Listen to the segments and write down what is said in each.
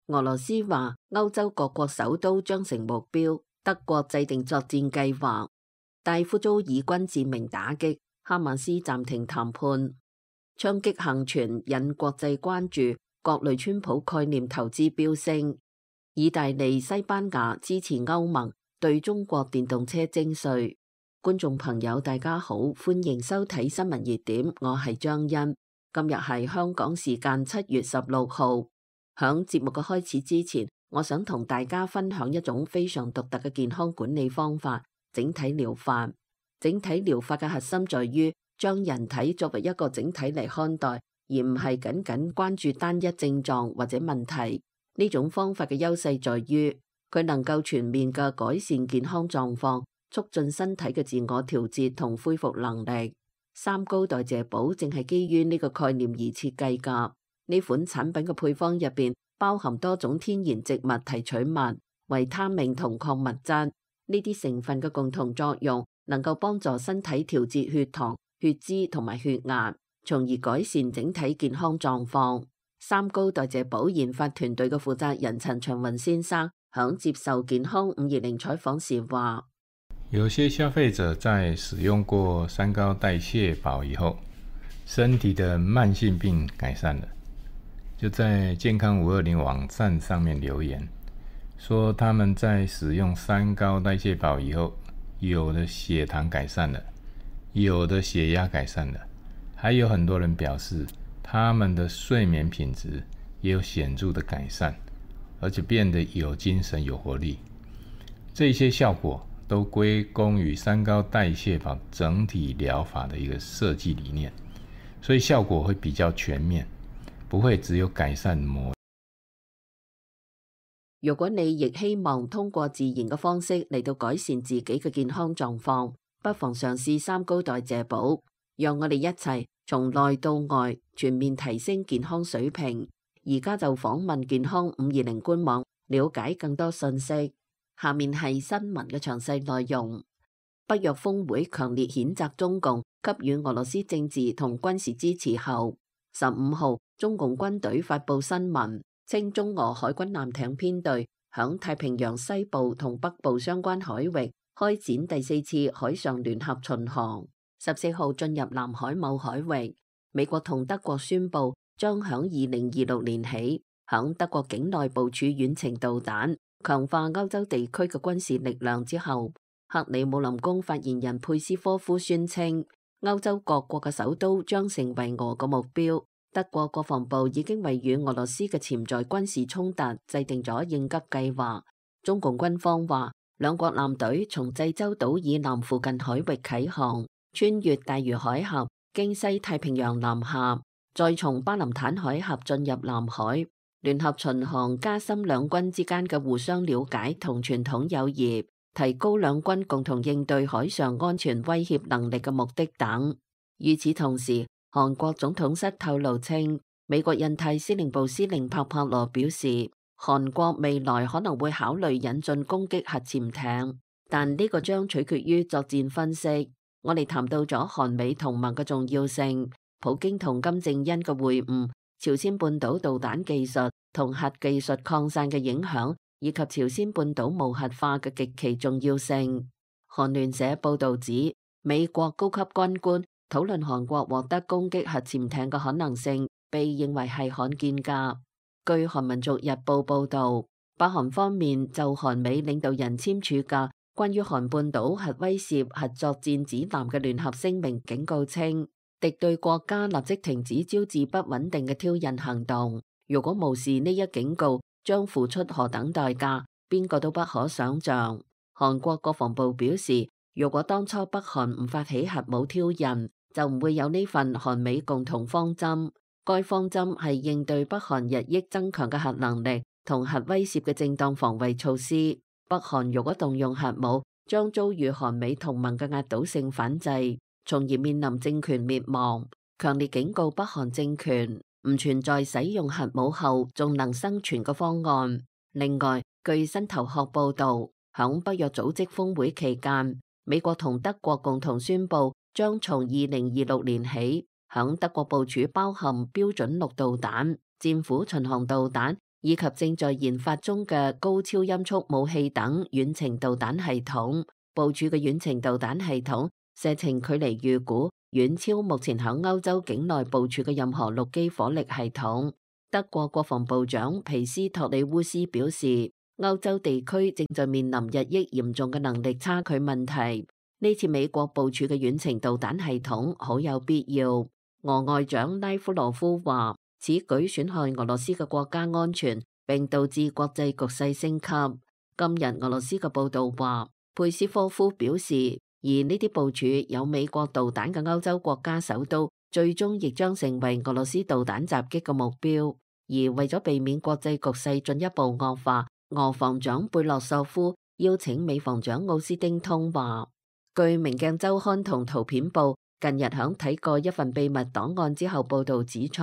俄羅斯話歐洲各國首都將成目標，德國制定作戰計劃。大夫遭以軍致命打擊，哈馬斯暫停談判。槍擊幸存引國際關注，各類川普概念投資飆升。意大利、西班牙支持歐盟對中國電動車徵稅。觀眾朋友大家好，歡迎收睇新聞熱點，我係張欣。今日係香港時間7月16號。響節目嘅開始之前，我想同大家分享一種非常獨特嘅健康管理方法——整體療法。整體療法嘅核心在於將人體作為一個整體嚟看待，而唔係僅僅關注單一症狀或者問題。呢種方法嘅優勢在於佢能夠全面嘅改善健康狀況，促進身體嘅自我調節同恢復能力。三高代謝寶正係基於呢個概念而設計㗎。呢款產品嘅配方入邊包含多種天然植物提取物、維他命同礦物質。呢啲成分嘅共同作用能夠幫助身體調節血糖、血脂同埋血壓，從而改善整體健康狀況。三高代謝寶研發團隊嘅負責人陳長雲先生響接受健康520採訪時話：有些消費者在使用過三高代謝寶以後，身體的慢性病改善了，就在健康520網站上面留言，說他們在使用三高代謝寶以後，有的血糖改善了，有的血壓改善了，還有很多人表示他們的睡眠品質也有顯著的改善，而且變得有精神有活力。這些效果都歸功於三高代謝寶整體療法的一個設計理念，所以效果會比較全面，不會只有改善某。如果你亦希望通過自然嘅方式嚟到改善自己嘅健康狀況，不妨嘗試三高代謝寶，讓我哋一齊從內到外全面提升健康水平。而家就訪問健康520官網，了解更多信息。下面係新聞嘅詳細內容。北約峰會強烈譴責中共給予俄羅斯政治同軍事支持後，15號中共軍隊發布新聞，稱中俄海軍艦艇編隊響太平洋西部同北部相關海域開展第4次海上聯合巡航，14號進入南海某海域。美國同德國宣布將響2026年起響德國境內部署遠程導彈，強化歐洲地區嘅軍事力量之後，克里姆林宮發言人佩斯科夫宣稱，歐洲各國嘅首都將成為俄嘅目標。德國國防部已經為與俄羅斯嘅潛在軍事衝突制定咗應急計劃。中共軍方話，兩國艦隊從濟州島以南附近海域啟航，穿越大魚海峽，經西太平洋南下，再從巴林坦海峽進入南海。聯合巡航加深兩軍之間嘅互相了解同傳統友誼，提高兩軍共同應對海上安全威脅能力嘅目的等。與此同時，韓國總統室透露稱，美國印太司令部司令帕帕羅表示，韓國未來可能會考慮引進攻擊核潛艇，但呢個將取決於作戰分析。我哋談到咗韓美同盟嘅重要性，普京同金正恩嘅會晤，朝鮮半島導彈技術同核技術擴散嘅影響，以及朝鮮半島無核化嘅極其重要性。韓聯社報導指，美國高級軍官討論韓國獲得攻擊核潛艇嘅可能性，被認為係罕見㗎。據韓民族日報報導，北韓方面就韓美領導人簽署嘅關於韓半島核威懾核作戰指南嘅聯合聲明警告稱，敵對國家立即停止招致不穩定嘅挑釁行動。如果無視呢一警告，將付出何等代價，邊個都不可想像。韓國國防部表示，如果當初北韓唔發起核武挑釁，就唔會有呢份韓美共同方針。該方針係應對北韓日益增強嘅核能力同核威懾嘅正當防衛措施。北韓如果動用核武，將遭遇韓美同盟嘅壓倒性反制，從而面臨政權滅亡。強烈警告北韓政權唔存在使用核武後仲能生存嘅方案。另外，據新頭殼報導，響北約組織峰會期間，美國同德國共同宣布，將從2026年起，響德國部署包含標準6導彈、戰斧巡航導彈以及正在研發中嘅高超音速武器等遠程導彈系統。部署嘅遠程導彈系統射程距離預估遠超目前響歐洲境內部署嘅任何陸基火力系統。德國國防部長皮斯托里烏斯表示，歐洲地區正在面臨日益嚴重嘅能力差距問題。呢次美國部署嘅遠程導彈系統好有必要。俄外長拉夫羅夫話，此舉損害俄羅斯嘅國家安全，並導致國際局勢升級。今日俄羅斯嘅報道話，佩斯科夫表示，而呢啲部署有美國導彈嘅歐洲國家首都，最終亦將成為俄羅斯導彈襲擊嘅目標。而為咗避免國際局勢進一步惡化，俄防長貝洛索夫邀請美防長奧斯汀通話。據《明鏡週刊》同《圖片報》近日響睇過一份秘密檔案之後報道指出，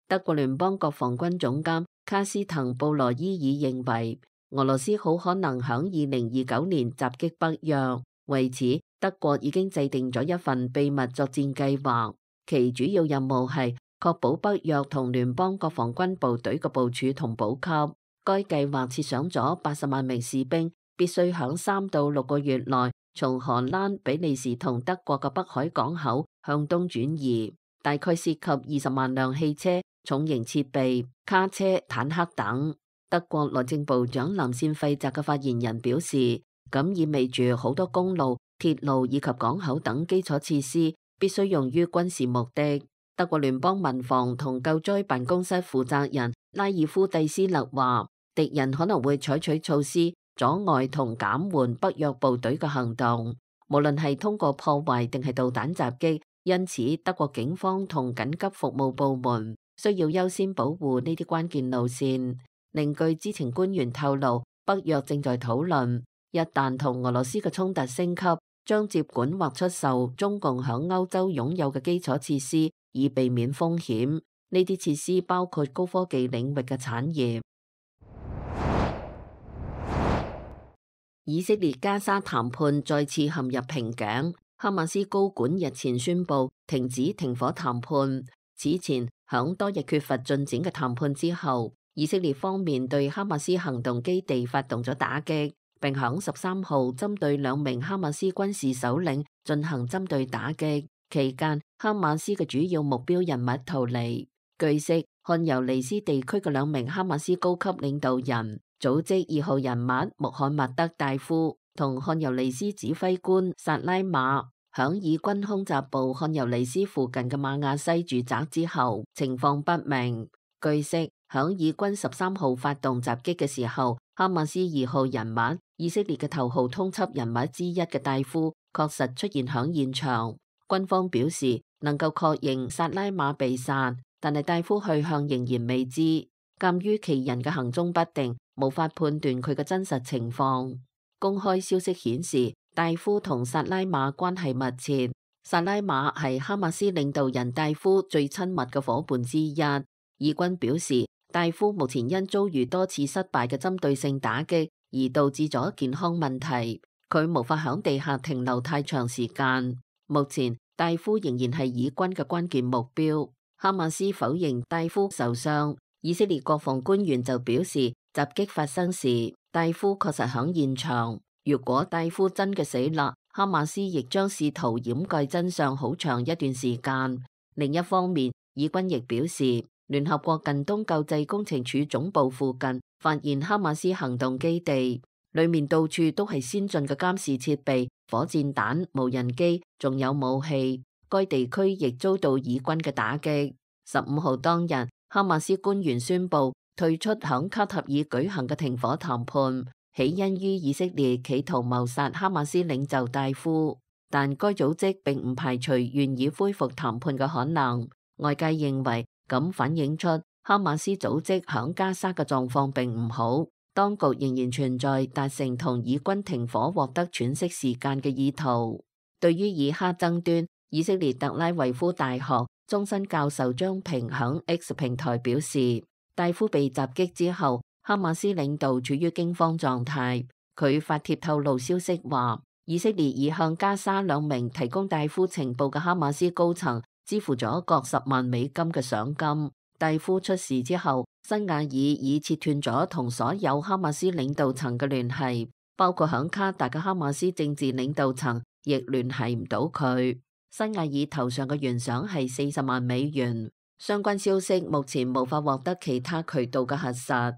德國聯邦國防軍總監卡斯滕布羅伊爾認為，俄羅斯好可能響2029年襲擊北約。為此，德國已經制定咗一份秘密作戰計劃，其主要任務係確保北約同聯邦國防軍部隊嘅部署同補給。該計劃設想咗80萬名士兵必須響3到6個月內從荷蘭、比利時同德國嘅北海港口向東轉移，大概涉及20萬輛汽車、重型設備、卡車、坦克等。德國內政部長林善費澤嘅發言人表示，咁意味住好多公路、鐵路以及港口等基礎設施必須用於軍事目的。德國聯邦民防同救災辦公室負責人拉爾夫蒂斯勒話，敵人可能會採取措施阻礙同減緩北約部隊嘅行動，無論係通過破壞定係導彈襲擊。因此，德國警方同緊急服務部門需要優先保護呢啲關鍵路線。另據知情官員透露，北約正在討論，一旦同俄羅斯嘅衝突升級，將接管或出售中共響歐洲擁有嘅基礎設施，以避免風險。呢啲設施包括高科技領域嘅產業。以色列加沙談判再次陷入瓶頸，哈馬斯高管日前宣布停止停火談判。此前響多日缺乏進展嘅談判之後，以色列方面對哈馬斯行動基地發動咗打擊，並響13號針對2名哈馬斯軍事首領進行針對打擊。期間，哈馬斯嘅主要目標人物逃離。據悉，漢尤尼斯地區嘅2名哈馬斯高級領導人，組織2號人物穆罕默德大夫同漢尤尼斯指揮官薩拉馬，響以軍空襲部漢尤尼斯附近嘅馬亞西住宅之後，情況不明。據悉，響以軍13號發動襲擊嘅時候，哈馬斯2號人物以色列嘅頭號通緝人物之一嘅大夫確實出現響現場。軍方表示能夠確認薩拉馬被殺，但係大夫去向仍然未知。鑑於其人嘅行蹤不定，無法判斷佢嘅真實情況。公開消息顯示，大夫同薩拉馬關係密切。薩拉馬係哈馬斯領導人大夫最親密嘅夥伴之一。以軍表示，大夫目前因遭遇多次失敗嘅針對性打擊而導致咗健康問題，佢無法響地下停留太長時間。目前，大夫仍然係以軍嘅關鍵目標。哈馬斯否認大夫受傷。以色列國防官員就表示，襲擊發生時，大夫確實響現場。如果大夫真嘅死啦，哈馬斯亦將試圖掩蓋真相好長一段時間。另一方面，以軍亦表示，聯合國近東救濟工程處總部附近發現哈馬斯行動基地，裏面到處都係先進嘅監視設備、火箭彈、無人機，仲有武器。該地區亦遭到以軍嘅打擊。15號當日，哈馬斯官員宣布退出響卡塔爾舉行嘅停火談判，起因於以色列企圖謀殺哈馬斯領袖大夫，但該組織並唔排除願意恢復談判嘅可能。外界認為咁反映出哈馬斯組織響加沙嘅狀況並唔好，當局仍然存在達成同以軍停火獲得喘息時間嘅意圖。對於以哈爭端，以色列特拉維夫大學終身教授張平響 X 平台表示，大夫被襲擊之後，哈馬斯領導處於驚慌狀態。佢發帖透露消息話，以色列已向加沙2名提供大夫情報嘅哈馬斯高層支付咗各10萬美金嘅賞金。蒂夫出事之後，辛瓦爾已切斷咗同所有哈馬斯領導層嘅聯繫，包括響卡達嘅哈馬斯政治領導層亦聯繫唔到佢。辛瓦爾頭上嘅懸賞係40萬美元。相關消息目前無法獲得其他渠道嘅核實。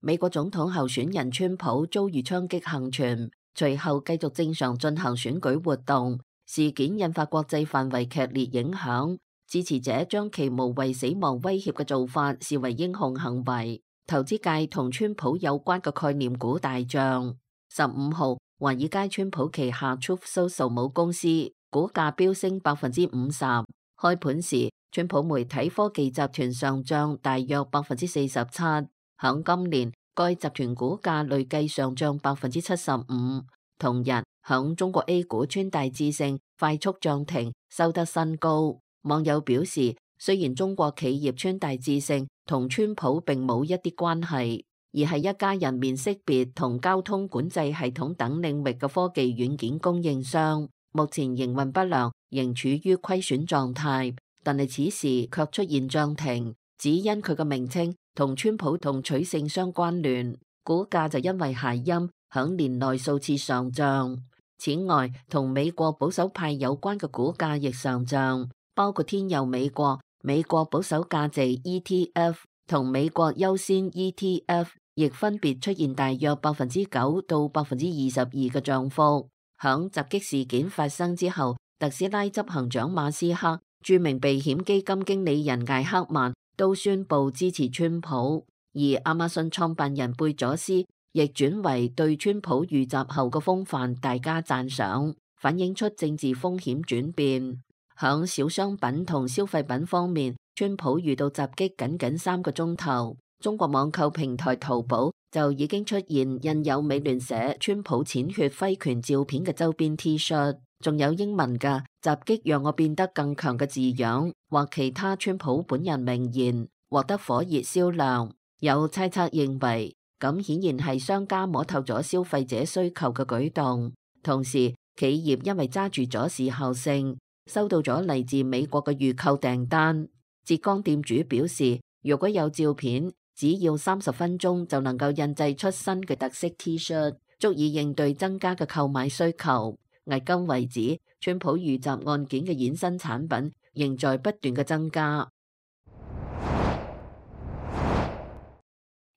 美國總統候選人川普遭遇槍擊幸存，隨後繼續正常進行選舉活動。事件引發國際範圍劇烈影響，支持者將其無謂死亡威脅嘅做法視為英雄行為。投資界同川普有關嘅概念股大漲。15號，華爾街川普旗下 Truth Social 母公司股價飆升50%。開盤時，川普媒體科技集團上漲大約47%。響今年，該集團股價累計上漲75%。同日，響中國 A 股川大智勝快速漲停，收得新高。網友表示，雖然中國企業川大智勝同川普並冇一啲關係，而係一家人面識別同交通管制系統等領域嘅科技軟件供應商，目前營運不良，仍處於虧損狀態。但係此時卻出現漲停，只因佢嘅名稱同川普同取勝相關聯，股價就因為諧音響年內數次上漲。此外，同美國保守派有關嘅股價亦上漲，包括天佑美國、美國保守價值 ETF 同美國優先 ETF， 亦分別出現大約9%到22%嘅漲幅。響襲擊事件發生之後，特斯拉執行長馬斯克、著名避險基金經理人艾克曼都宣布支持川普，而亞馬遜創辦人貝佐斯亦轉為對川普遇襲後嘅風範大加讚賞，反映出政治風險轉變。響小商品同消費品方面，川普遇到襲擊僅3個鐘頭，中國網購平台淘寶就已經出現印有美聯社川普淺血揮拳照片嘅周邊 T 恤，仲有英文嘅襲擊讓我變得更強嘅字樣，或其他川普本人名言，獲得火熱銷量。有猜測認為，咁顯然係商家摸透咗消費者需求嘅舉動，同時企業因為揸住咗時效性，收到咗嚟自美國嘅預購訂單。浙江店主表示，如果有照片，只要30分鐘就能夠印製出新嘅特色 T 恤，足以應對增加嘅購買需求。迄今為止，川普遇襲案件嘅衍生產品仍在不斷嘅增加。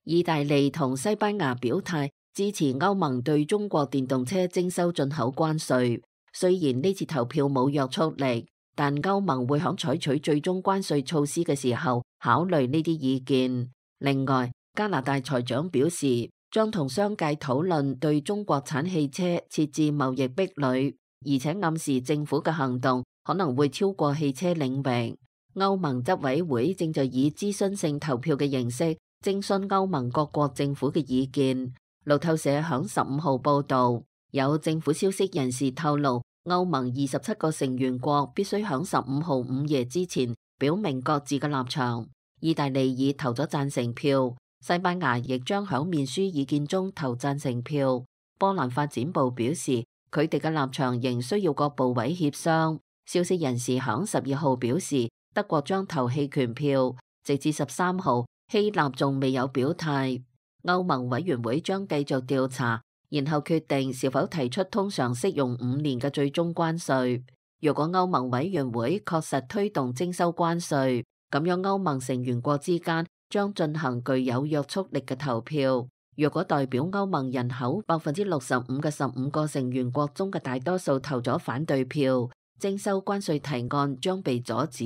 意大利同西班牙表態支持歐盟對中國電動車徵收進口關稅。雖然呢次投票冇約束力，但歐盟會響採取最終關稅措施嘅時候考慮呢啲意見。另外，加拿大財長表示將同商界討論對中國產汽車設置貿易壁壘，而且暗示政府嘅行動可能會超過汽車領域。歐盟執委會正在以諮詢性投票嘅形式徵詢歐盟各國政府嘅意見。路透社響15號報道，有政府消息人士透露，歐盟27個成員國必須響15號午夜之前表明各自嘅立場。意大利已投咗贊成票，西班牙亦將響面書意見中投贊成票。波蘭發展部表示，佢哋嘅立場仍需要各部委協商。消息人士響12號表示，德國將投棄權票，直至13號，希臘仲未有表態。歐盟委員會將繼續調查，然後決定是否提出通常適用5年嘅最終關稅。如果歐盟委員會確實推動徵收關稅，咁樣歐盟成員國之間將進行具有約束力嘅投票。若果代表歐盟人口65%嘅15個成員國中嘅大多數投咗反對票，徵收關稅提案將被阻止。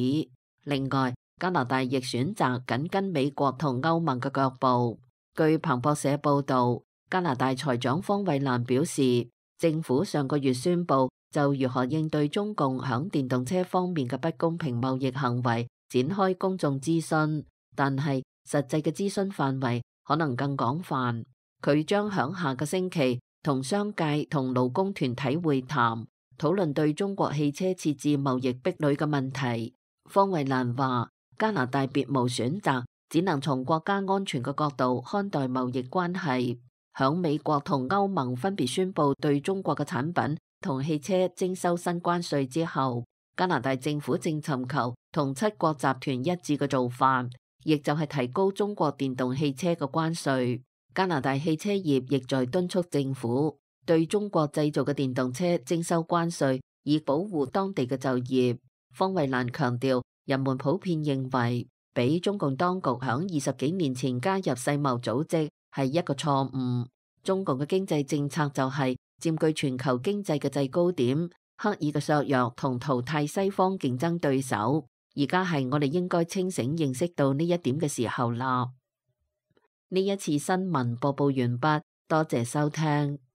另外，加拿大亦選擇緊跟美國同歐盟嘅腳步。據彭博社報導，加拿大財長方慧蘭表示，政府上個月宣布就如何應對中共響電動車方面嘅不公平貿易行為展開公眾諮詢，但係實際嘅諮詢範圍可能更廣泛。佢將響下個星期同商界同勞工團體會談，討論對中國汽車設置貿易壁壘嘅問題。方慧蘭話，加拿大別無選擇，只能從國家安全嘅角度看待貿易關係。響美國同歐盟分別宣布對中國嘅產品同汽車徵收新關稅之後，加拿大政府正尋求同七國集團一致嘅做法，亦就係提高中國電動汽車嘅關稅。加拿大汽車業亦在敦促政府對中國製造嘅電動車徵收關稅，以保護當地嘅就業。方慧蘭強調，人們普遍認為俾中共當局響20幾年前加入世貿組織係一個錯誤。中共嘅經濟政策就係佔據全球經濟嘅制高點，刻意嘅削弱同淘汰西方競爭對手。而家係我哋應該清醒認識到呢一點嘅時候啦。呢一次新聞播報完畢，多謝收聽。